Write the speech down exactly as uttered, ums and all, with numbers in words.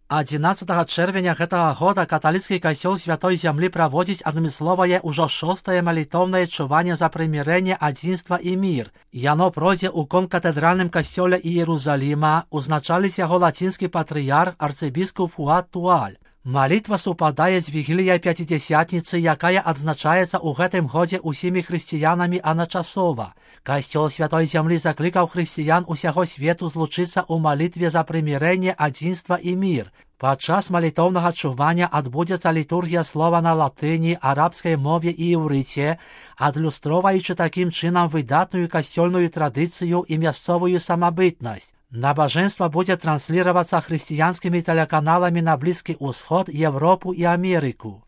адзінаццатага чэрвеня гэтага года каталіцкі касцёл Святой Зямлі праводзіць адмысловае ўжо шостае малітоўнае чуванне за прымірэнне, адзінства і мір. Яно пройдзе ў конкатэдральным касцёле Іерусаліма, узначаліць яго лацінскі патрыярх арцыбіскуп Фуад Туаль. Малітва супадае з вігіліяй Пяцідзясятніцы, якая адзначаецца ў гэтым годзе ўсімі хрысціянамі адначасова. Касцёл Святой Зямлі заклікаў хрысціян усяго свету злучыцца ў малітве за прымірэнне, адзінства і мір. Падчас малітоўнага чування адбудзецца літургія слова на латыні, арабскай мове і іўрыце, адлюстроўваючы такім чынам выдатную касцёльную традыцыю і мясцовую самабытнасць. Набажэнства будзе трансліравацца хрысціянскімі тэлеканаламі на Блізкі ўсход, Европу і Амерыку.